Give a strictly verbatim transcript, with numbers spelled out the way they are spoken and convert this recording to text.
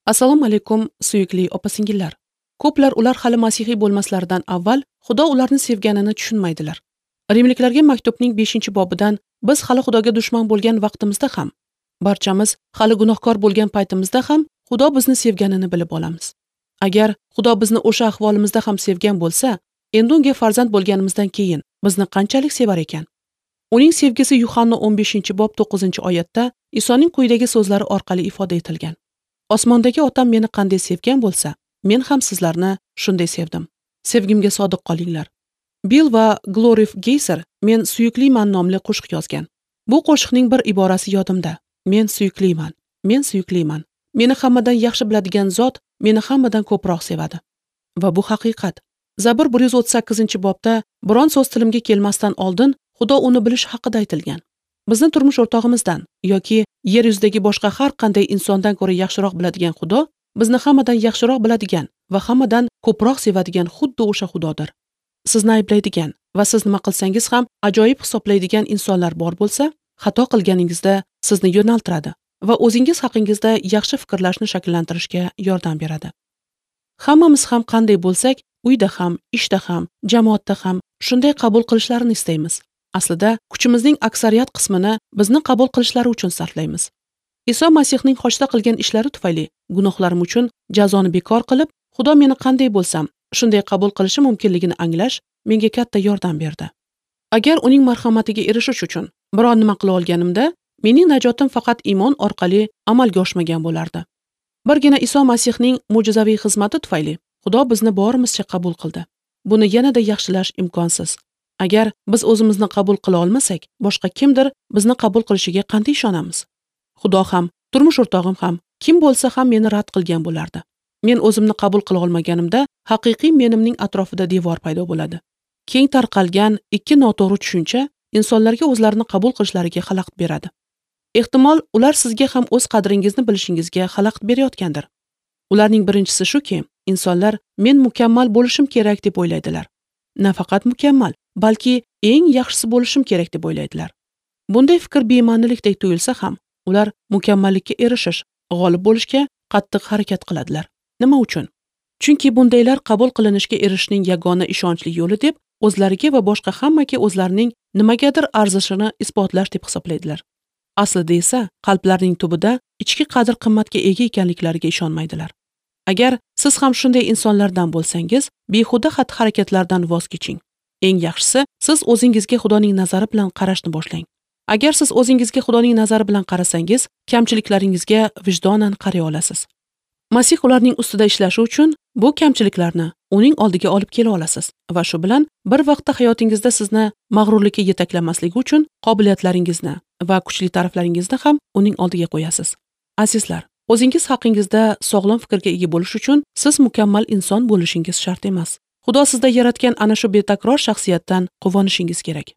Assalomu alaykum, suyukli opa-singillar. Ko'plar ular hali masihiy bo'lmaslaridan avval Xudo ularni sevganini tushunmaydilar. Rimliklarga maktubning beshinchi bobidan biz hali Xudoga dushman bo'lgan vaqtimizda ham, barchamiz hali gunohkor bo'lgan paytimizda ham Xudo bizni sevganini bilib olamiz. Agar Xudo bizni o'sha ahvolimizda ham sevgan bo'lsa, endi unga farzand bo'lganimizdan keyin bizni qanchalik sevar ekan? Uning sevgisi Yuhanna o'n beshinchi bob to'qqizinchi oyatda Isoning quyidagi so'zlari orqali ifoda etilgan. Osmondagi Otam meni qanday sevgan bo'lsa, men ham sizlarni shunday sevdim. Sevgimga sodiq qolinglar. Bill va Glorif Geyser Men suyukliman nomli qo'shiq yozgan. Bu qo'shiqning bir iborasi yodimda. Men suyukliman. Men suyukliman. Meni hammadan yaxshi biladigan zot meni hammadan ko'proq sevadi. Va bu haqiqat. Zabur bir yuz o'ttiz sakkizinchi bobda biron so'z tilimga kelmasdan oldin Xudo uni bilish haqida aytilgan. Bizni turmush o'rtog'imizdan yoki yer yuzidagi boshqa har qanday insondan ko'ra yaxshiroq biladigan Xudo bizni hammadan yaxshiroq biladigan va hammadan ko'proq sevadigan xuddi o'sha Xudodir. Sizni ayblaydigan va siz nima qilsangiz ham ajoyib hisoblaydigan insonlar bor bo'lsa, xato qilganingizda sizni yo'naltiradi va o'zingiz haqingizda yaxshi fikrlashni shakllantirishga yordam beradi. Hammamiz ham qanday bo'lsak, uyda ham, ishda ham, jamoatda ham shunday qabul qilishlarini istaymiz. Aslida kuchimizning aksariyat qismini bizni qabul qilishlari uchun sarflaymiz. Iso Masihning xochda qilgan ishlari tufayli gunohlarim uchun jazoni bekor qilib, Xudo meni qanday bo'lsam, shunday qabul qilishi mumkinligini anglash menga katta yordam berdi. Agar uning marhamatiga erishish uchun biron nima qila olganimda, mening najotim faqat iymon orqali amalga oshmagan bo'lardi. Birgina Iso Masihning mo'jizaviy xizmati tufayli Xudo bizni borimizcha qabul qildi. Buni yanada yaxshilash imkonsiz. Agar biz o'zimizni qabul qila olmasak, boshqa kimdir bizni qabul qilishiga qanday ishonamiz? Xudo ham, turmush o'rtog'im ham, kim bo'lsa ham meni rad qilgan bo'lardi. Men o'zimni qabul qila olmaganimda, haqiqiy menimning atrofida devor paydo bo'ladi. Keng tarqalgan ikki noto'g'ri tushuncha insonlarga o'zlarini qabul qilishlariga xalaqit beradi. Ehtimol, ular sizga ham o'z qadringizni bilishingizga xalaqit berayotgandir. Ularning birinchisi shuki, insonlar men mukammal bo'lishim kerak deb o'ylaydilar. Nafaqat mukammal, balki eng yaxshisi bo'lishim kerak deb o'ylaydilar. Bunday fikr bema'nilikdek tuyulsa ham, ular mukammallikka erishish, g'olib bo'lishga qattiq harakat qiladilar. Nima uchun? Chunki bundaylar qabul qilinishga erishishning yagona ishonchli yo'li deb o'zlariga va boshqa hammaga o'zlarining nimagadir arzishini isbotlash deb hisoblaydilar. Aslida esa qalblarining tubida ichki qadr-qimmatga ega ekanliklariga ishonmaydilar. Agar siz ham shunday insonlardan bo'lsangiz, behuda xatti-harakatlardan voz keching. Eng yaxshisi, siz o'zingizga Xudoning nazari bilan qarashni boshlang. Agar siz o'zingizga Xudoning nazari bilan qarasangiz, kamchiliklaringizga vijdonan qaray olasiz. Masih ularning ustida ishlashi uchun bu kamchiliklarni uning oldiga olib kela olasiz va shu bilan bir vaqtda hayotingizda sizni mag'rurlikka yetaklamasligi uchun qobiliyatlaringizni va kuchli taraflaringizni ham uning oldiga qo'yasiz. Azizlar, o'zingiz haqingizda sog'lom fikrga ega bo'lish uchun siz mukammal inson bo'lishingiz shart emas. Xudo sizda yaratgan ana shu betakror shaxsiyatdan quvonishingiz kerak.